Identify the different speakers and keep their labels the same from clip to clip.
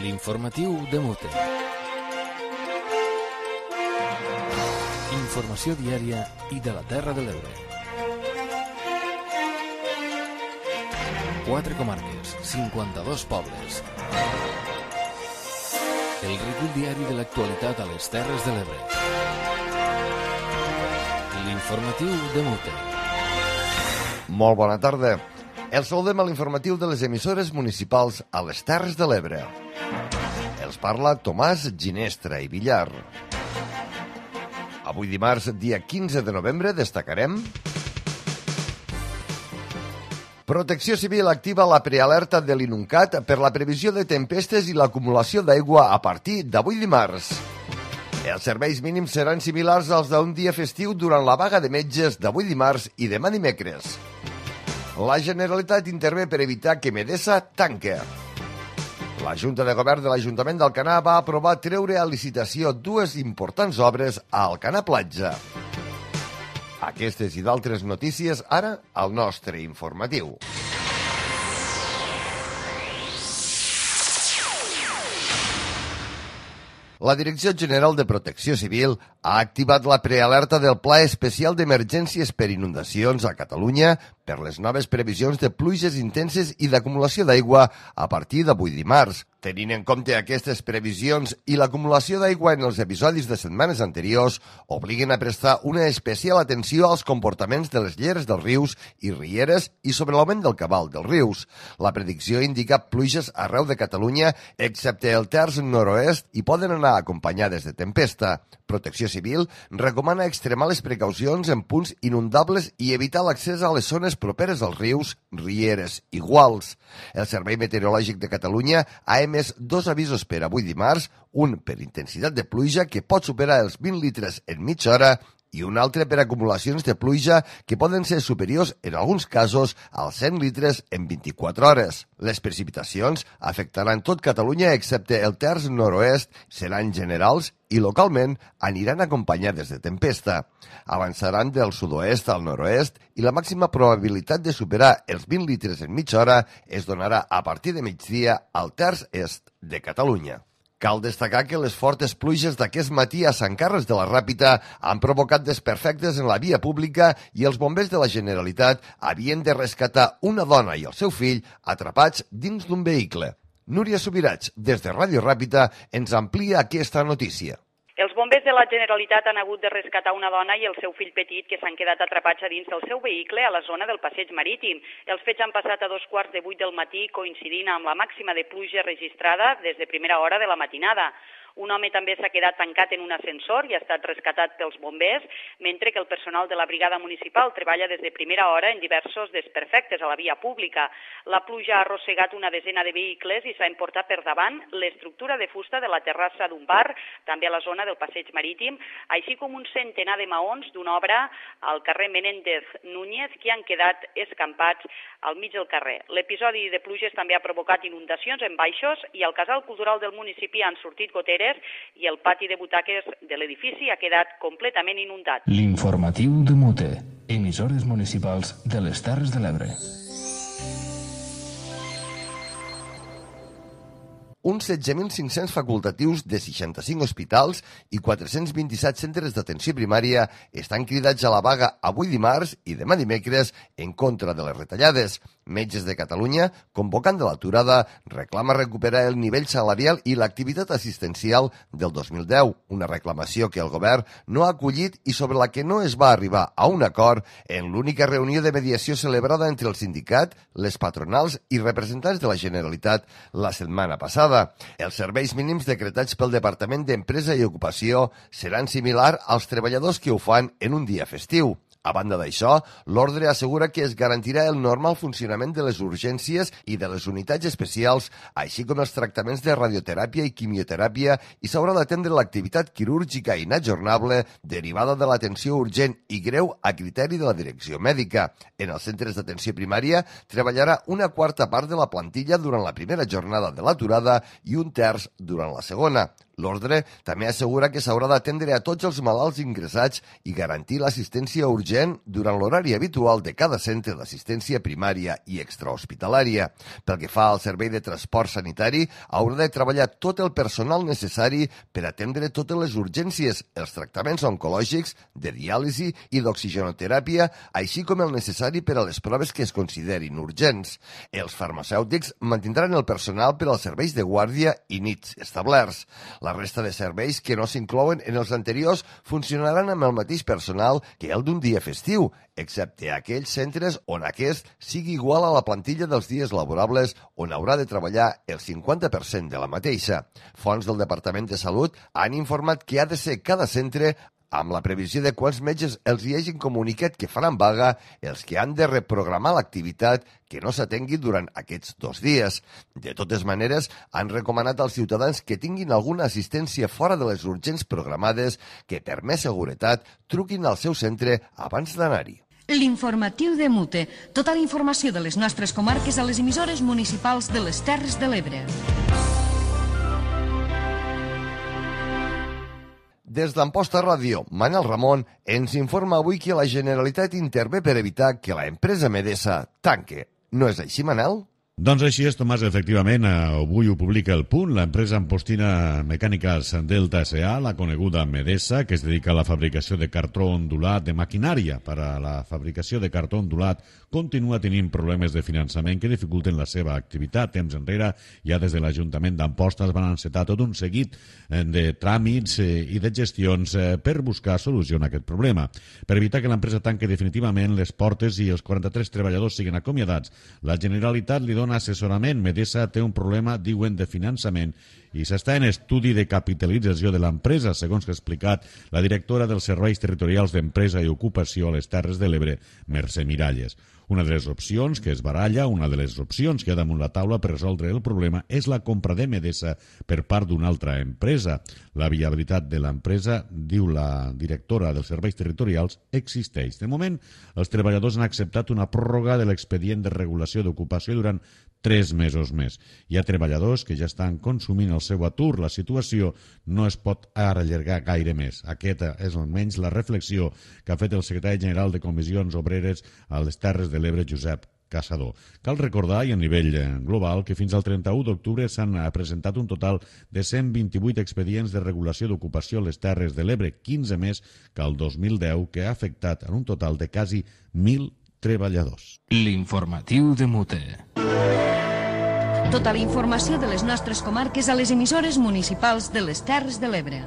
Speaker 1: L'informatiu de Mute. Informació diària i de la Terra de l'Ebre. 4 comarques, 52 pobles. El recull diari de l'actualitat a les Terres de l'Ebre. L'informatiu de Mute.
Speaker 2: Molt bona tarda. Els saludem a l'informatiu de les emissores municipals a les Terres de l'Ebre. Els parla Tomàs Ginestra i Villar. Avui dimarts, dia 15 de novembre, destacarem: Protecció Civil activa la prealerta de l'Inuncat per la previsió de tempestes i l'acumulació d'aigua a partir d'avui dimarts. Els serveis mínims seran similars als d'un dia festiu durant la vaga de metges d'avui dimarts i demà dimecres. La Generalitat intervé per evitar que Medesa tanque. La Junta de Govern de l'Ajuntament d'Alcanar va aprovar treure a licitació 2 importants obres a Alcanar Platja. Aquestes i d'altres notícies ara al nostre informatiu. La Direcció General de Protecció Civil ha activat la prealerta del Pla Especial d'Emergències per Inundacions a Catalunya per les noves previsions de pluges intenses i d'acumulació d'aigua a partir d'avui dimarts. Tenint en compte aquestes previsions i l'acumulació d'aigua en els episodis de setmanes anteriors, obliguen a prestar una especial atenció als comportaments de les lleres dels rius i rieres i sobre l'augment del cabal dels rius. La predicció indica pluges arreu de Catalunya, excepte el terç nord-oest, i poden anar acompanyades de tempesta. Protecció Civil recomana extremar les precaucions en punts inundables i evitar l'accés a les zones properes als rius, rieres i guals. El Servei Meteorològic de Catalunya ha emès 2 avisos per avui dimarts, un per intensitat de pluja que pot superar els 20 litres en mitja hora i un altre per acumulacions de pluja que poden ser superiors en alguns casos als 100 litres en 24 hores. Les precipitacions afectaran tot Catalunya excepte el terç nord-oest, seran generals i localment aniran acompanyades de tempesta. Avançaran del sud-oest al nord-oest i la màxima probabilitat de superar els 20 litres en mitja hora es donarà a partir de migdia al terç est de Catalunya. Cal destacar que les fortes pluges d'aquest matí a Sant Carles de la Ràpita han provocat desperfectes en la via pública i els bombers de la Generalitat havien de rescatar una dona i el seu fill atrapats dins d'un vehicle. Núria Subirats, des de Ràdio Ràpita, ens amplia aquesta notícia.
Speaker 3: Els bombers de la Generalitat han hagut de rescatar una dona i el seu fill petit que s'han quedat atrapats a dins del seu vehicle a la zona del passeig marítim. Els fets han passat a 2:15 del matí, coincidint amb la màxima de pluja registrada des de primera hora de la matinada. Un home també s'ha quedat tancat en un ascensor i ha estat rescatat pels bombers, mentre que el personal de la brigada municipal treballa des de primera hora en diversos desperfectes a la via pública. La pluja ha arrossegat una desena de vehicles i s'ha emportat per davant l'estructura de fusta de la terrassa d'un bar, també a la zona del passeig marítim, així com un centenar de maons d'una obra al carrer Menéndez Núñez que han quedat escampats al mig del carrer. L'episodi de pluges també ha provocat inundacions en baixos i al casal cultural del municipi han sortit goteres i el pati de butaques de l'edifici ha quedat completament inundat.
Speaker 1: L'informatiu de Mute. Emissores municipals de les Terres de l'Ebre.
Speaker 2: Uns 16.500 facultatius de 65 hospitals i 427 centres d'atenció primària estan cridats a la vaga avui dimarts i demà dimecres en contra de les retallades. Metges de Catalunya, convocant de l'aturada, reclama recuperar el nivell salarial i l'activitat assistencial del 2010, una reclamació que el govern no ha acollit i sobre la que no es va arribar a un acord en l'única reunió de mediació celebrada entre el sindicat, les patronals i representants de la Generalitat la setmana passada. Els serveis mínims decretats pel Departament d'Empresa i Ocupació seran similars als treballadors que ho fan en un dia festiu. A banda d'això, l'ordre assegura que es garantirà el normal funcionament de les urgències i de les unitats especials, així com els tractaments de radioteràpia i quimioteràpia, i s'haurà d'atendre l'activitat quirúrgica inajornable derivada de l'atenció urgent i greu a criteri de la direcció mèdica. En els centres d'atenció primària treballarà una quarta part de la plantilla durant la primera jornada de l'aturada i un terç durant la segona. L'ordre també assegura que s'haurà d'atendre a tots els malalts ingressats i garantir l'assistència urgent durant l'horari habitual de cada centre d'assistència primària i extrahospitalària. Pel que fa al servei de transport sanitari, haurà de treballar tot el personal necessari per atendre totes les urgències, els tractaments oncològics, de diàlisi i d'oxigenoteràpia, així com el necessari per a les proves que es considerin urgents. Els farmacèutics mantindran el personal per als serveis de guàrdia i nits establerts. La resta de serveis que no s'inclouen en els anteriors funcionaran amb el mateix personal que el d'un dia festiu, excepte aquells centres on aquest sigui igual a la plantilla dels dies laborables on haurà de treballar el 50% de la mateixa. Fonts del Departament de Salut han informat que ha de ser cada centre amb la previsió de quants metges els hi hagin comunicat que faran vaga els que han de reprogramar l'activitat que no s'atengui durant aquests 2 dies. De totes maneres, han recomanat als ciutadans que tinguin alguna assistència fora de les urgents programades que, per més seguretat, truquin al seu centre abans d'anar-hi.
Speaker 4: L'informatiu de Mute. Tota la informació de les nostres comarques a les emissores municipals de les Terres de l'Ebre.
Speaker 2: Des d'Amposta Ràdio, Manel Ramon ens informa avui que la Generalitat intervé per evitar que la empresa Medesa tanque. No és així, Manel?
Speaker 5: Doncs així és, Tomàs, efectivament, avui ho publica El Punt, l'empresa ampostina Mecàniques Delta S.A., la coneguda Medesa, que es dedica a la fabricació de cartró ondulat de maquinària per a la fabricació de cartró ondulat, continua tenint problemes de finançament que dificulten la seva activitat. Temps enrere, ja des de l'Ajuntament d'Amposta es van encetar tot un seguit de tràmits i de gestions per buscar solució a aquest problema. Per evitar que l'empresa tanque definitivament les portes i els 43 treballadors siguin acomiadats, la Generalitat li dona assessorament. Medesa té un problema, diuen, de finançament i s'està en estudi de capitalització de l'empresa, segons que ha explicat la directora dels Serveis Territorials d'Empresa i Ocupació a les Terres de l'Ebre, Mercè Miralles. Una de les opcions que es baralla, una de les opcions que hi ha damunt la taula per resoldre el problema és la compra de Medesa per part d'una altra empresa. La viabilitat de l'empresa, diu la directora dels Serveis Territorials, existeix. De moment, els treballadors han acceptat una pròrroga de l'expedient de regulació d'ocupació durant 3 mesos més. Hi ha treballadors que ja estan consumint el seu atur. La situació no es pot allargar gaire més. Aquesta és almenys la reflexió que ha fet el secretari general de Comissions Obreres a les Terres de l'Ebre, Josep Caçador. Cal recordar, i a nivell global, que fins al 31 d'octubre s'han presentat un total de 128 expedients de regulació d'ocupació a les Terres de l'Ebre, 15 més que el 2010, que ha afectat en un total de quasi 1.000 treballadors.
Speaker 1: L'informatiu de Mute.
Speaker 4: Tota la informació de les nostres comarques a les emissores municipals de les Terres de l'Ebre.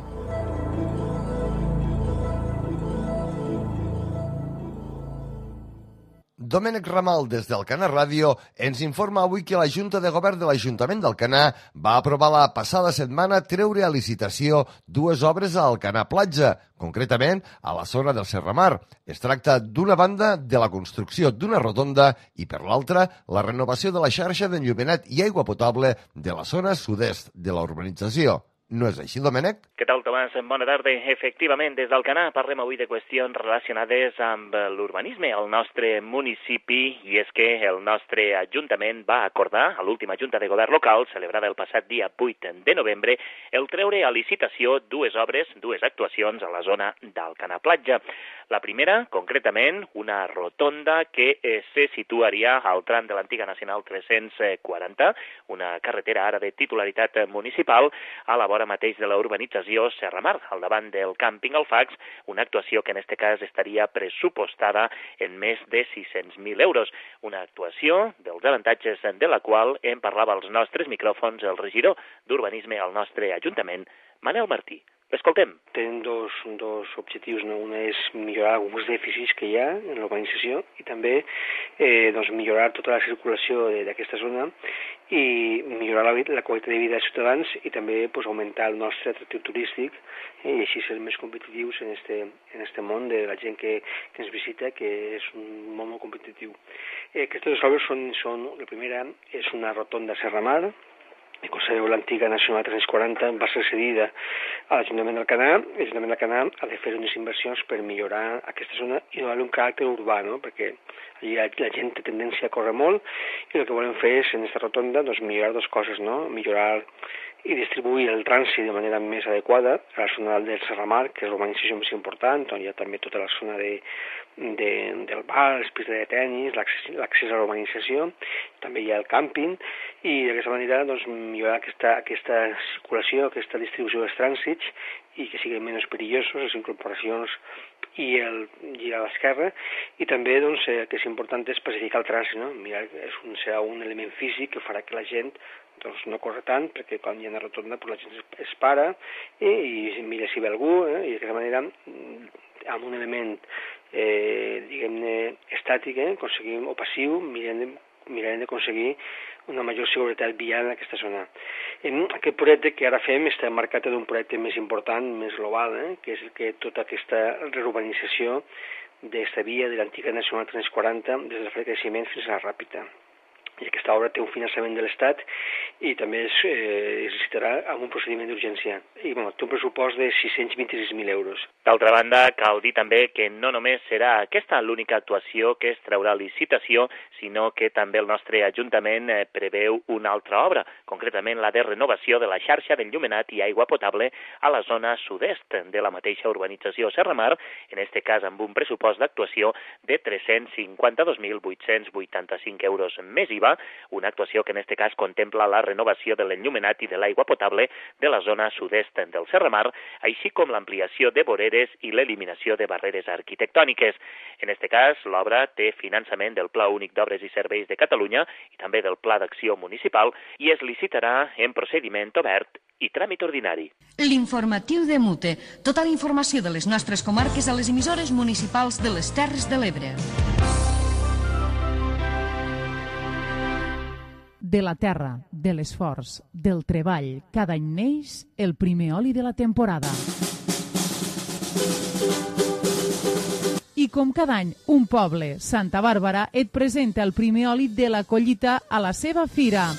Speaker 2: Domènec Ramal, des d'Alcanar Ràdio, ens informa avui que la Junta de Govern de l'Ajuntament d'Alcanar va aprovar la passada setmana treure a licitació 2 obres a Alcanar Platja, concretament a la zona del Serramar. Es tracta d'una banda de la construcció d'una rotonda i, per l'altra, la renovació de la xarxa d'enllumenat i aigua potable de la zona sud-est de la urbanització. No és així, Domènec?
Speaker 6: Què tal, Tomàs? Bona tarda. Efectivament, des d'Alcanar parlem avui de qüestions relacionades amb l'urbanisme al nostre municipi, i és que el nostre Ajuntament va acordar, a l'última Junta de Govern local, celebrada el passat dia 8 de novembre, el treure a licitació 2 obres, 2 actuacions a la zona d'Alcanar Platja. La primera, concretament, una rotonda que se situaria al tram de l'antiga Nacional 340, una carretera ara de titularitat municipal, a la vora mateix de la urbanització Serramar, al davant del càmping Alfax, una actuació que en aquest cas estaria pressupostada en més de 600.000 euros. Una actuació dels avantatges de la qual en parlava als nostres micròfons el regidor d'Urbanisme al nostre Ajuntament, Manel Martí. L'escoltem.
Speaker 7: Tenen dos objectius, no? Un és millorar alguns dèficits que hi ha en l'urbanització i també millorar tota la circulació d'aquesta zona i millorar la qualitat de vida dels ciutadans i també augmentar el nostre atractiu turístic i així ser més competitius en este món de la gent que ens visita, que és un món molt competitiu. Aquestes 2 obres són, la primera és una rotonda Serramar, com sabeu, l'antiga Nacional 340 va ser cedida a l'Ajuntament del Canà ha de fer unes inversions per millorar aquesta zona i donar-li un caràcter urbà, no? Perquè allí la gent té tendència a córrer molt i el que volem fer és, en aquesta rotonda, doncs, millorar dues coses, no? Millorar i distribuir el trànsit de manera més adequada a la zona del Serramar, que és l'urbanització més important, on hi ha també tota la zona del bar, els pistes de tenis, l'accés a l'urbanització, també hi ha el càmping, i d'aquesta manera doncs, millorar aquesta circulació, aquesta distribució dels trànsits i que siguin menys perillosos, les incorporacions i el girar a l'esquerra, i també doncs, que és important és pacificar el trànsit, no? Mirar, serà un element físic que farà que la gent doncs, no corre tant, perquè quan hi ha una rotonda la gent es para i mira si ve algú, i d'aquesta manera amb un element diguem-ne estàtic, aconseguim, o passiu, mirarem d'aconseguir una major seguretat vial en aquesta zona. Aquest projecte que ara fem està marcat d'un projecte més important, més global, que és que tota aquesta reurbanització d'esta via de l'antiga Nacional 340 des de la Fred Creixement fins a la Ràpita. I aquesta obra té un finançament de l'Estat i també es licitarà amb un procediment d'urgència. I té un pressupost de 626.000 euros.
Speaker 6: D'altra banda, cal dir també que no només serà aquesta l'única actuació que es traurà a licitació, sinó que també el nostre Ajuntament preveu una altra obra, concretament la de renovació de la xarxa d'enllumenat i aigua potable a la zona sud-est de la mateixa urbanització Serramar, en este cas amb un pressupost d'actuació de 352.885 euros més IVA, una actuació que en este cas contempla la renovació de l'enllumenat i de l'aigua potable de la zona sud-est del Serramar, així com l'ampliació de voreres i l'eliminació de barreres arquitectòniques. En este cas, l'obra té finançament del Pla Únic d'Obres i Serveis de Catalunya i també del Pla d'Acció Municipal i es licitarà en procediment obert i tràmit ordinari.
Speaker 4: L'informatiu de Mute. Tota la informació de les nostres comarques a les emissores municipals de les Terres de l'Ebre.
Speaker 8: De la terra, de l'esforç, del treball, cada any neix el primer oli de la temporada. I com cada any, un poble, Santa Bàrbara, et presenta el primer oli de la collita a la seva fira.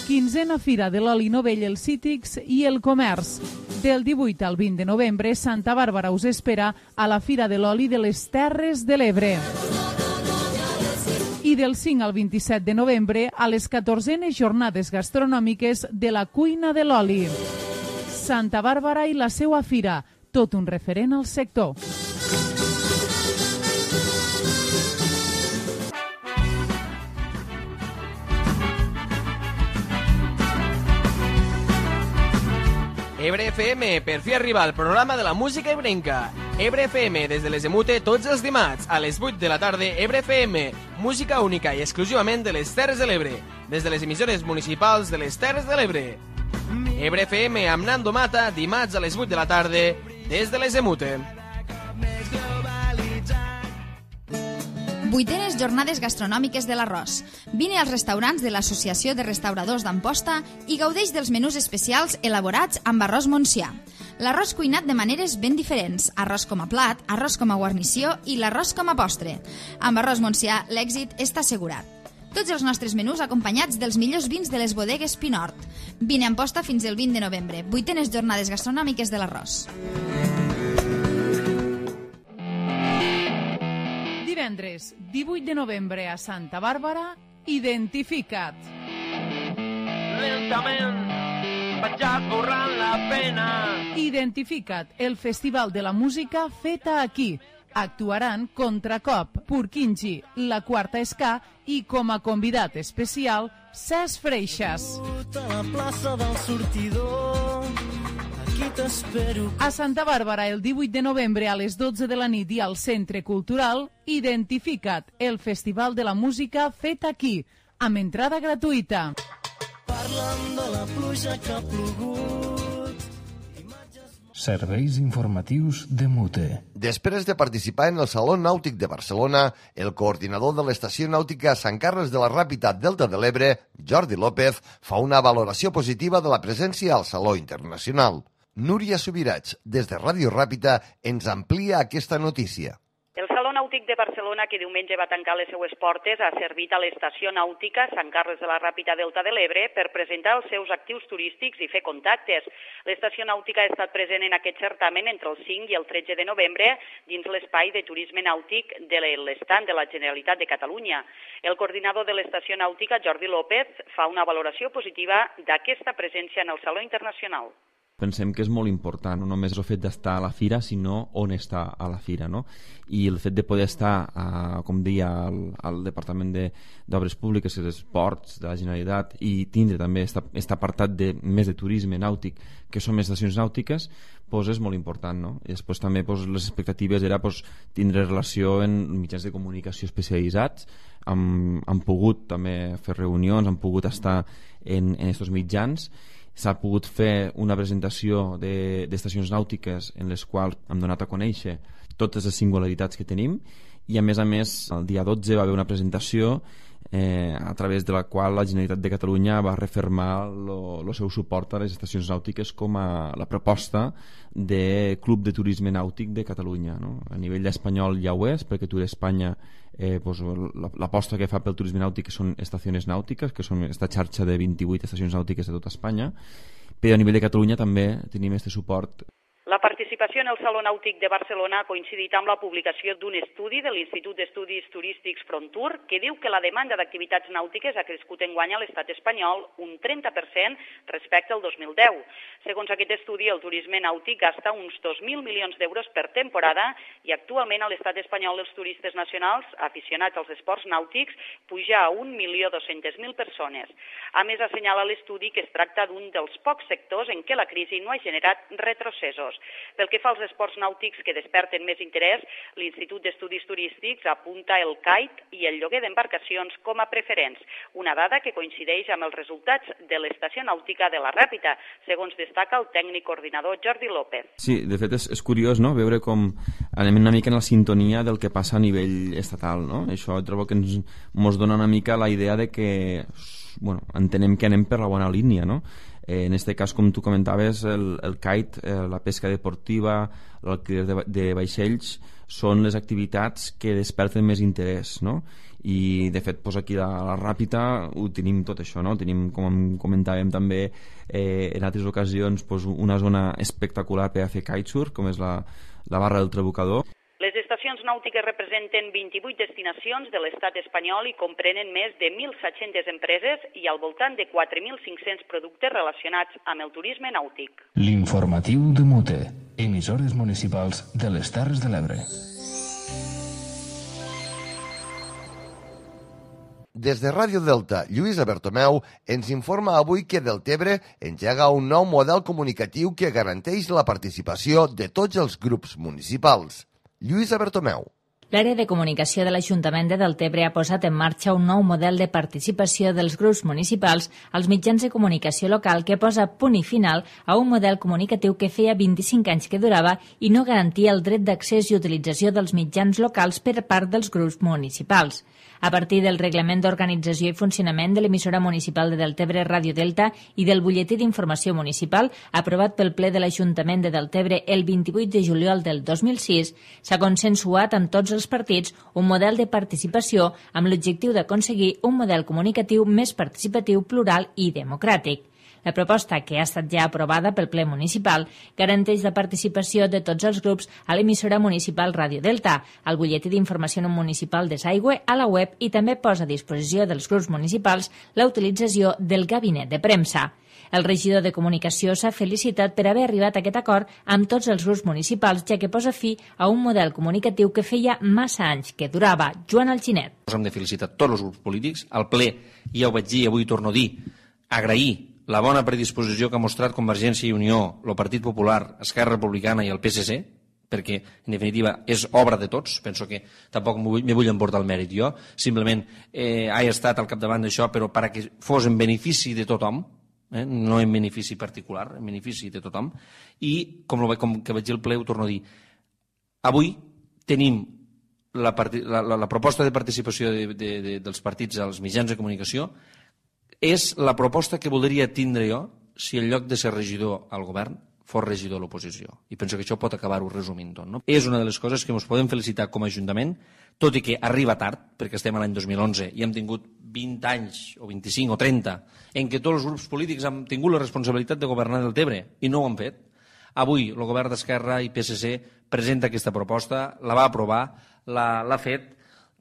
Speaker 8: 15a Fira de l'Oli Novell, els Cítrics i el Comerç. Del 18 al 20 de novembre, Santa Bàrbara us espera a la Fira de l'Oli de les Terres de l'Ebre. I del 5 al 27 de novembre a les 14enes jornades gastronòmiques de la cuina de l'oli. Santa Bàrbara i la seua fira, tot un referent al sector.
Speaker 9: Ebre FM, per fi arriba al programa de la música ebrenca. Ebre FM, des de les Emute, tots els dimarts, a les 8 de la tarda, Ebre FM, música única i exclusivament de les Terres de l'Ebre, des de les emissores municipals de les Terres de l'Ebre. Ebre FM amb Nando Mata, dimarts a les 8 de la tarda, des de les Emute.
Speaker 10: 8enes jornades gastronòmiques de l'Arròs. Vine als restaurants de l'Associació de Restauradors d'Amposta i gaudeix dels menús especials elaborats amb arròs Montsià. L'arròs cuinat de maneres ben diferents, arròs com a plat, arròs com a guarnició i l'arròs com a postre. Amb arròs Montsià l'èxit està assegurat. Tots els nostres menús acompanyats dels millors vins de les bodegues Pinort. Vine a Amposta fins el 20 de novembre, 8enes jornades gastronòmiques de l'Arròs.
Speaker 8: Divendres, 18 de novembre a Santa Bàrbara, Identifica't.
Speaker 11: Lentament, vaig esborrant la pena.
Speaker 8: Identifica't, el festival de la música feta aquí. Actuaran Contracop, Purkinji, La Quarta Ska i com a convidat especial, Cesc Freixas.
Speaker 11: A la plaça del sortidor, aquí t'espero.
Speaker 8: A Santa Bàrbara, el 18 de novembre a les 12 de la nit i al Centre Cultural, Identifica't, el festival de la música fet aquí, amb entrada gratuïta.
Speaker 11: Parlant de la pluja que ha plogut.
Speaker 1: Serveis informatius de Mute.
Speaker 2: Després de participar en el Saló Nàutic de Barcelona, el coordinador de l'Estació Nàutica Sant Carles de la Ràpita Delta de l'Ebre, Jordi López, fa una valoració positiva de la presència al Saló Internacional. Núria Subirats, des de Ràdio Ràpita, ens amplia aquesta notícia.
Speaker 3: El Saló Nàutic Nàutic de Barcelona, que diumenge va tancar les seues portes, ha servit a l'estació nàutica Sant Carles de la Ràpita Delta de l'Ebre per presentar els seus actius turístics i fer contactes. L'estació nàutica ha estat present en aquest certamen entre el 5 i el 13 de novembre dins l'espai de turisme nàutic de l'estand de la Generalitat de Catalunya. El coordinador de l'estació nàutica, Jordi López, fa una valoració positiva d'aquesta presència en el Saló Internacional.
Speaker 12: Pensem que és molt important, no només el fet d'estar a la fira, sinó on està a la fira, no? I el fet de poder estar, com deia, al Departament d'Obres Públiques i d'Esports de la Generalitat i tindre també aquest apartat més de turisme nàutic, que són estacions nàutiques, és molt important, no? I després també les expectatives era tindre relació en mitjans de comunicació especialitzats, han pogut també fer reunions, han pogut estar en aquests mitjans. S'ha pogut fer una presentació d'estacions nàutiques en les quals hem donat a conèixer totes les singularitats que tenim i a més el dia 12 va haver una presentació a través de la qual la Generalitat de Catalunya va refermar el seu suport a les estacions nàutiques com a la proposta de Club de Turisme Nàutic de Catalunya, no? A nivell espanyol ja ho és, perquè Tour Espanya l'aposta que fa pel turisme nàutic són estacions nàutiques, que són aquesta xarxa de 28 estacions nàutiques de tota Espanya, però a nivell de Catalunya també tenim aquest suport.
Speaker 3: La participació en el Saló Nàutic de Barcelona ha coincidit amb la publicació d'un estudi de l'Institut d'Estudis Turístics Frontur que diu que la demanda d'activitats nàutiques ha crescut enguany a l'estat espanyol un 30% respecte al 2010. Segons aquest estudi, el turisme nàutic gasta uns 2.000 milions d'euros per temporada i actualment a l'estat espanyol els turistes nacionals aficionats als esports nàutics puja a 1.200.000 persones. A més, assenyala l'estudi que es tracta d'un dels pocs sectors en què la crisi no ha generat retrocessos. Pel que fa als esports nàutics que desperten més interès, l'Institut d'Estudis Turístics apunta el kite i el lloguer d'embarcacions com a preferents, una dada que coincideix amb els resultats de l'estació nàutica de la Ràpita, segons destaca el tècnic coordinador Jordi López.
Speaker 12: Sí, de fet és curiós, no?, veure com anem una mica en la sintonia del que passa a nivell estatal, no? Això trobo que ens dona una mica la idea de que entenem que anem per la bona línia, no? En aquest cas, com tu comentaves, el kite, la pesca deportiva, l'alquiler de vaixells són les activitats que desperten més interès, no? I de fet aquí a la Ràpita ho tenim tot això, no? Tenim, com comentàvem també en altres ocasions, una zona espectacular per a fer kitesurf, com és la barra del Trabucador.
Speaker 3: Les estacions nàutiques representen 28 destinacions de l'estat espanyol i comprenen més de 1.700 empreses i al voltant de 4.500 productes relacionats amb el turisme nàutic.
Speaker 1: L'informatiu de Mute, emissores municipals de les Terres de l'Ebre.
Speaker 2: Des de Ràdio Delta, Lluïsa Bertomeu ens informa avui que Deltebre engega un nou model comunicatiu que garanteix la participació de tots els grups municipals. Lluïsa Bertomeu.
Speaker 13: L'àrea de comunicació de l'Ajuntament de Deltebre ha posat en marxa un nou model de participació dels grups municipals als mitjans de comunicació local que posa punt i final a un model comunicatiu que feia 25 anys que durava i no garantia el dret d'accés i utilització dels mitjans locals per part dels grups municipals. A partir del Reglament d'Organització i Funcionament de l'emissora municipal de Deltebre Ràdio Delta i del Butlletí d'Informació Municipal, aprovat pel ple de l'Ajuntament de Deltebre el 28 de juliol del 2006, s'ha consensuat amb tots els partits un model de participació amb l'objectiu d'aconseguir un model comunicatiu més participatiu, plural i democràtic. La proposta, que ha estat ja aprovada pel ple municipal, garanteix la participació de tots els grups a l'emissora municipal Ràdio Delta, al butlletí d'informació municipal de Saigüe, a la web i també posa a disposició dels grups municipals la utilització del gabinet de premsa. El regidor de Comunicació s'ha felicitat per haver arribat a aquest acord amb tots els grups municipals, ja que posa fi a un model comunicatiu que feia massa anys que durava. Joan Alginet.
Speaker 14: Hem de felicitar tots els grups polítics. Al ple, ja ho vaig dir, avui torno a dir, agrair la bona predisposició que ha mostrat Convergència i Unió, el Partit Popular, Esquerra Republicana i el PSC, perquè, en definitiva, és obra de tots. Penso que tampoc me vull emportar el mèrit jo. Simplement he estat al capdavant d'això, però perquè fos en benefici de tothom, no en benefici particular, en benefici de tothom. I, com que vaig dir al ple, ho torno a dir, avui tenim la proposta de participació dels partits als mitjans de comunicació. És la proposta que voldria tindre jo si en lloc de ser regidor al govern fos regidor de l'oposició. I penso que això pot acabar-ho resumint tot. No? És una de les coses que ens podem felicitar com a Ajuntament, tot i que arriba tard, perquè estem a l'any 2011 i hem tingut 20 anys, o 25 o 30, en què tots els grups polítics han tingut la responsabilitat de governar del Tebre i no ho han fet. Avui el govern d'Esquerra i PSC presenta aquesta proposta, la va aprovar, l'ha fet.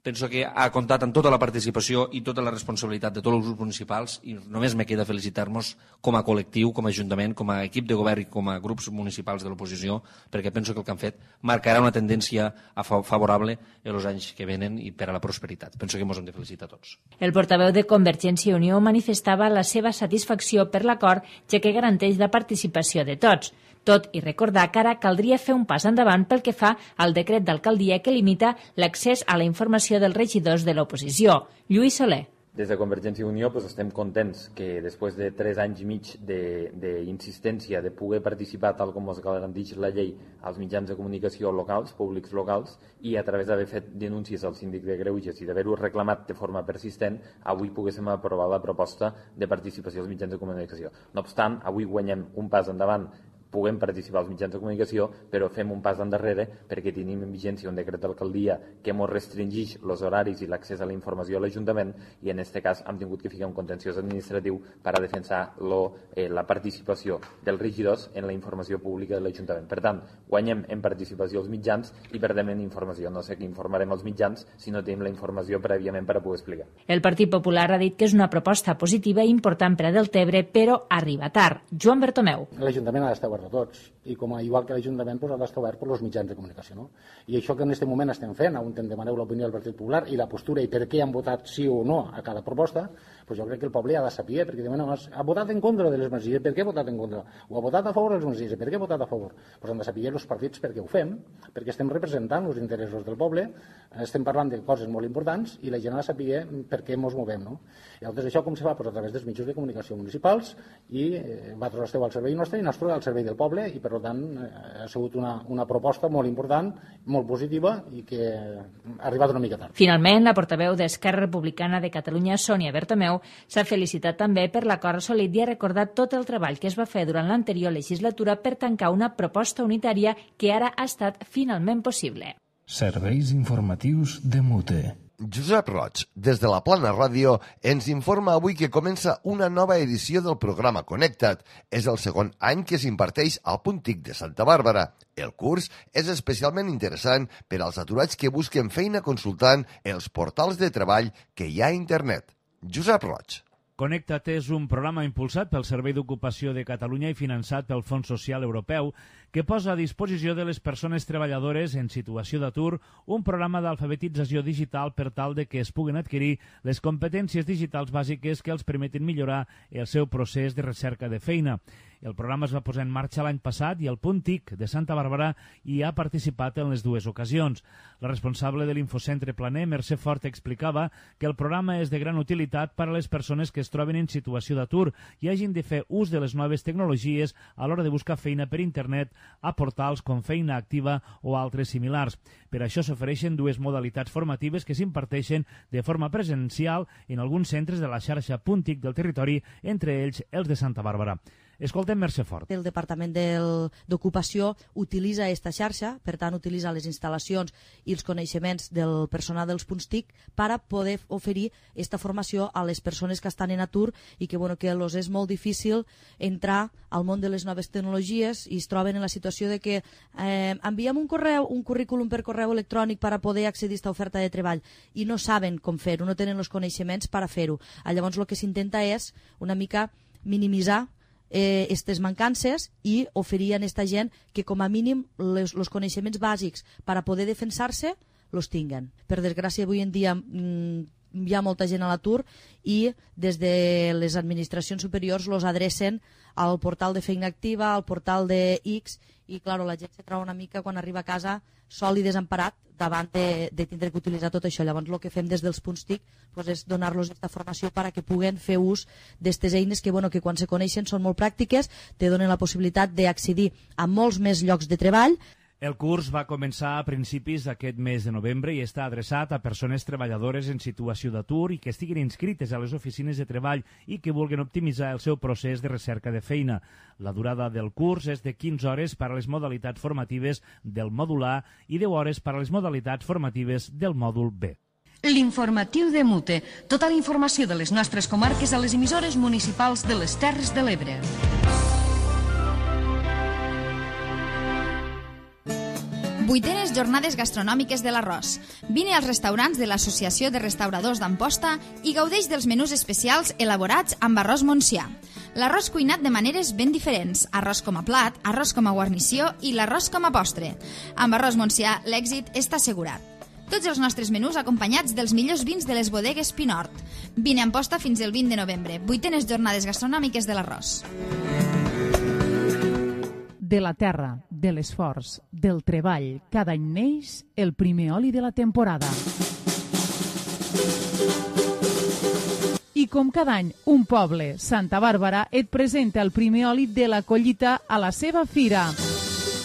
Speaker 14: Penso que ha comptat amb tota la participació i tota la responsabilitat de tots els grups municipals i només me queda felicitar-nos com a col·lectiu, com a Ajuntament, com a equip de govern i com a grups municipals de l'oposició, perquè penso que el que han fet marcarà una tendència favorable en els anys que venen i per a la prosperitat. Penso que ens hem de felicitar tots.
Speaker 13: El portaveu de Convergència i Unió manifestava la seva satisfacció per l'acord, ja que garanteix la participació de tots. Tot i recordar que ara caldria fer un pas endavant pel que fa al decret d'alcaldia que limita l'accés a la informació dels regidors de l'oposició. Lluís Soler.
Speaker 15: Des de Convergència i Unió estem contents que després de 3 anys i mig d'insistència de poder participar tal com es garanteix la llei als mitjans de comunicació locals, públics locals, i a través d'haver fet denúncies al síndic de Greuges i d'haver-ho reclamat de forma persistent, avui poguéssim aprovar la proposta de participació als mitjans de comunicació. No obstant, avui guanyem un pas endavant, puguem participar als mitjans de comunicació, però fem un pas endarrere perquè tenim en vigència un decret d'alcaldia que ens restringeix els horaris i l'accés a la informació a l'Ajuntament i en aquest cas hem tingut que ficar un contenciós administratiu per a defensar la participació dels regidors en la informació pública de l'Ajuntament. Per tant, guanyem en participació als mitjans i perdem en informació. No sé què informarem als mitjans si no tenim la informació prèviament per a poder explicar.
Speaker 13: El Partit Popular ha dit que és una proposta positiva i important per a Deltebre, però arriba tard. Joan Bertomeu.
Speaker 16: L'Ajuntament ha d'estar obert a tots i igual que l'Ajuntament ha d'estar obert per als mitjans de comunicació. No? I això que en aquest moment estem fent, on demaneu l'opinió del Partit Popular i la postura i per què han votat sí o no a cada proposta, doncs jo crec que el poble ha de saber, perquè ha votat en contra de les mesures, per què ha votat en contra? O ha votat a favor de les mesures, per què ha votat a favor? Doncs han de saber els partits per què ho fem, perquè estem representant els interessos del poble, estem parlant de coses molt importants i la gent ha de saber per què ens movem. No? I llavors això com se fa? Pues a través dels mitjans de comunicació municipals i vosaltres esteu al servei nostre i nosaltres al servei del poble i per tant ha sigut una proposta molt important, molt positiva i que ha arribat una mica tard.
Speaker 13: Finalment, la portaveu d'Esquerra Republicana de Catalunya, Sònia Bertomeu, s'ha felicitat també per l'acord assolit i ha recordat tot el treball que es va fer durant l'anterior legislatura per tancar una proposta unitària que ara ha estat finalment possible.
Speaker 1: Serveis informatius de Mute.
Speaker 2: Josep Roig, des de la Plana Ràdio, ens informa avui que comença una nova edició del programa Connecta't. És el segon any que s'imparteix al Punt TIC de Santa Bàrbara. El curs és especialment interessant per als aturats que busquen feina consultant els portals de treball que hi ha a internet. Josep Roig.
Speaker 17: Connecta't és un programa impulsat pel Servei d'Ocupació de Catalunya i finançat pel Fons Social Europeu que posa a disposició de les persones treballadores en situació d'atur un programa d'alfabetització digital per tal de que es puguen adquirir les competències digitals bàsiques que els permetin millorar el seu procés de recerca de feina. El programa es va posar en marxa l'any passat i el Punt TIC de Santa Bàrbara hi ha participat en les dues ocasions. La responsable de l'Infocentre Planer, Mercè Fort, explicava que el programa és de gran utilitat per a les persones que es troben en situació d'atur i hagin de fer ús de les noves tecnologies a l'hora de buscar feina per internet a portals com Feina Activa o altres similars. Per això s'ofereixen dues modalitats formatives que s'imparteixen de forma presencial en alguns centres de la xarxa Punt TIC del territori, entre ells els de Santa Bàrbara. Escoltem Mercè Fort.
Speaker 18: El Departament d'Ocupació utilitza aquesta xarxa, per tant utilitza les instal·lacions i els coneixements del personal dels punts TIC per a poder oferir aquesta formació a les persones que estan en atur i que els és molt difícil entrar al món de les noves tecnologies i es troben en la situació de que enviem un currículum per correu electrònic per a poder accedir a aquesta oferta de treball i no saben com fer-ho, no tenen els coneixements per a fer-ho. Llavors el que s'intenta és una mica minimitzar aquestes mancances i oferir a aquesta gent que com a mínim els coneixements bàsics per a poder defensar-se els tinguen. Per desgràcia avui en dia hi ha molta gent a l'atur i des de les administracions superiors els adrecen al portal de Feina Activa, al portal de X i clar, la gent se troba una mica quan arriba a casa sol i desemparat davant de tindre que utilitzar tot això. Llavors el que fem des dels punts TIC és donar-los aquesta formació perquè puguen fer ús d'aquestes eines que quan se coneixen són molt pràctiques, te donen la possibilitat d'accedir a molts més llocs de treball.
Speaker 17: El curs va començar a principis d'aquest mes de novembre i està adreçat a persones treballadores en situació d'atur i que estiguin inscrites a les oficines de treball i que vulguin optimitzar el seu procés de recerca de feina. La durada del curs és de 15 hores per a les modalitats formatives del mòdul A i 10 hores per a les modalitats formatives del mòdul B.
Speaker 4: L'informatiu de Mute. Tota la informació de les nostres comarques a les emissores municipals de les Terres de l'Ebre.
Speaker 10: Vuitenes jornades gastronòmiques de l'Arròs. Vine als restaurants de l'Associació de Restauradors d'Amposta i gaudeix dels menús especials elaborats amb arròs Montsià. L'arròs cuinat de maneres ben diferents, arròs com a plat, arròs com a guarnició i l'arròs com a postre. Amb arròs Montsià l'èxit està assegurat. Tots els nostres menús acompanyats dels millors vins de les bodegues Pinort. Vine a Amposta fins el 20 de novembre. Vuitenes jornades gastronòmiques de l'Arròs.
Speaker 8: De la terra, de l'esforç, del treball, cada any neix el primer oli de la temporada. I com cada any, un poble, Santa Bàrbara, et presenta el primer oli de la collita a la seva fira.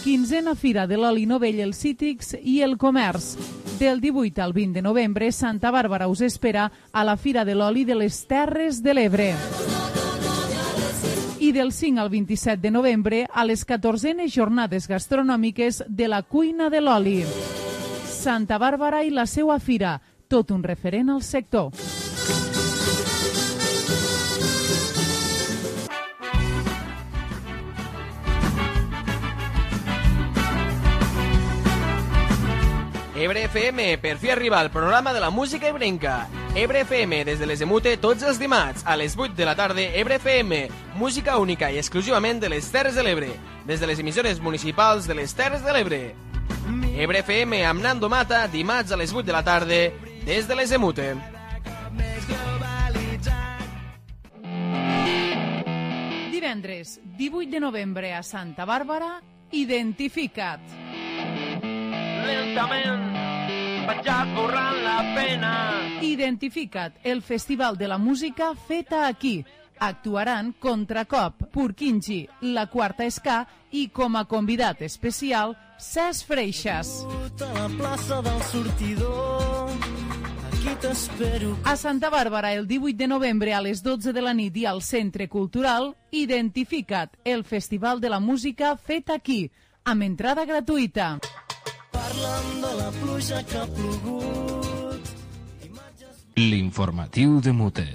Speaker 8: 15a Fira de l'Oli Novell, els Cítrics i el Comerç. Del 18 al 20 de novembre, Santa Bàrbara us espera a la Fira de l'Oli de les Terres de l'Ebre. I del 5 al 27 de novembre a les 14enes jornades gastronòmiques de la cuina de l'oli. Santa Bàrbara i la seua fira, tot un referent al sector.
Speaker 9: Ebre FM, per fi arriba el programa de la música ebrenca. Ebre FM, des de les Emute, tots els dimarts, a les 8 de la tarda, Ebre FM, música única i exclusivament de les Terres de l'Ebre, des de les emissores municipals de les Terres de l'Ebre. Ebre FM amb Nando Mata, dimarts a les 8 de la tarda, des de les Emute.
Speaker 8: Divendres, 18 de novembre a Santa Bàrbara, Identifica't.
Speaker 11: Lentament vaig esborrant la pena.
Speaker 8: Identifica't, el festival de la música feta aquí. Actuaran Contracop, Purkinji, La Quarta Ska i com a convidat especial, Cesc Freixas.
Speaker 11: A la plaça del sortidor, aquí t'espero.
Speaker 8: A Santa Bàrbara, el 18 de novembre a les 12 de la nit i al Centre Cultural, Identifica't, el festival de la música fet aquí, amb entrada gratuïta.
Speaker 11: Parlant de la pluja que ha plogut.
Speaker 1: L'informatiu de Mute.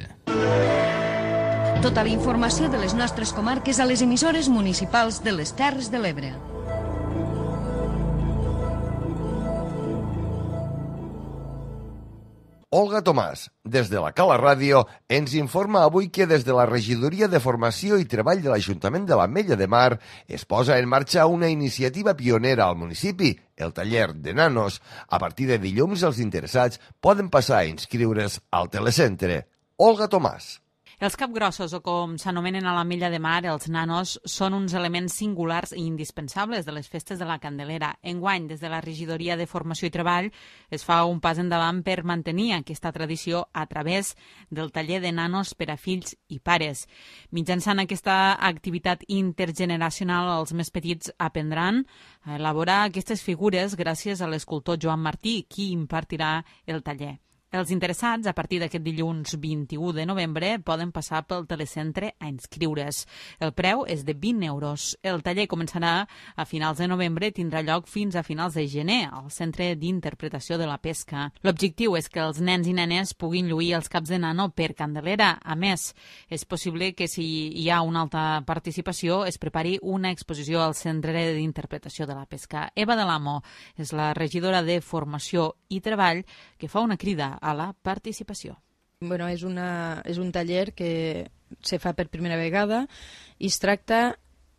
Speaker 4: Tota la informació de les nostres comarques a les emissores municipals de les Terres de l'Ebre.
Speaker 2: Olga Tomàs, des de la Cala Ràdio, ens informa avui que des de la Regidoria de Formació i Treball de l'Ajuntament de l'Ametlla de Mar es posa en marxa una iniciativa pionera al municipi, el taller de nanos. A partir de dilluns, els interessats poden passar a inscriure's al telecentre. Olga Tomàs.
Speaker 19: Els capgrossos, o com s'anomenen a l'Ametlla de Mar, els nanos, són uns elements singulars i indispensables de les festes de la Candelera. Enguany, des de la Regidoria de Formació i Treball, es fa un pas endavant per mantenir aquesta tradició a través del taller de nanos per a fills i pares. Mitjançant aquesta activitat intergeneracional, els més petits aprendran a elaborar aquestes figures gràcies a l'escultor Joan Martí, qui impartirà el taller. Els interessats, a partir d'aquest dilluns 21 de novembre, poden passar pel telecentre a inscriure's. El preu és de 20 euros. El taller començarà a finals de novembre i tindrà lloc fins a finals de gener al Centre d'Interpretació de la Pesca. L'objectiu és que els nens i nenes puguin lluir els caps de nano per Candelera. A més, és possible que si hi ha una alta participació es prepari una exposició al Centre d'Interpretació de la Pesca. Eva de l'Amo és la regidora de Formació i Treball que fa una crida a la participació.
Speaker 20: Bueno, és un taller que se fa per primera vegada i es tracta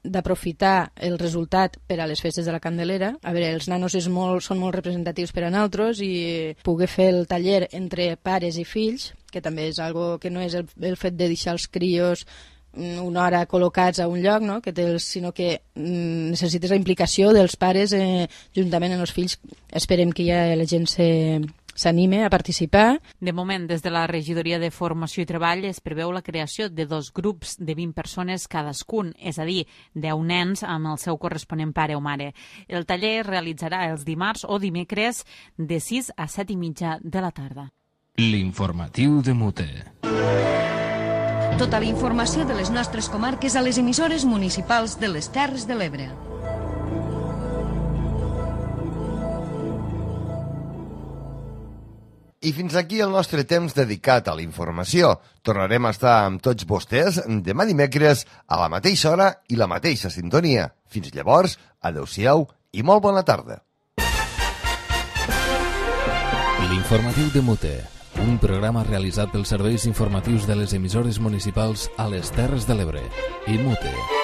Speaker 20: d'aprofitar el resultat per a les festes de la Candelera. A veure, els nanos són molt representatius per a nosaltres i poder fer el taller entre pares i fills, que també és algo que no és el fet de deixar els crios una hora col·locats a un lloc, no? Sinó que necessites la implicació dels pares juntament amb els fills. Esperem que ja la gent s'anime a participar.
Speaker 19: De moment, des de la Regidoria de Formació i Treball es preveu la creació de 2 grups de 20 persones cadascun, és a dir, 10 nens amb el seu corresponent pare o mare. El taller es realitzarà els dimarts o dimecres de 6 a 7 i mitja de la tarda.
Speaker 1: L'informatiu de Mute.
Speaker 4: Tota la informació de les nostres comarques a les emissores municipals de les Terres de l'Ebre.
Speaker 2: I fins aquí el nostre temps dedicat a la informació. Tornarem a estar amb tots vostès demà dimecres a la mateixa hora i la mateixa sintonia. Fins llavors, adeu-siau i molt bona tarda.
Speaker 1: L'informatiu de Mute, un programa realitzat pels serveis informatius de les emissores municipals a les Terres de l'Ebre i Mute.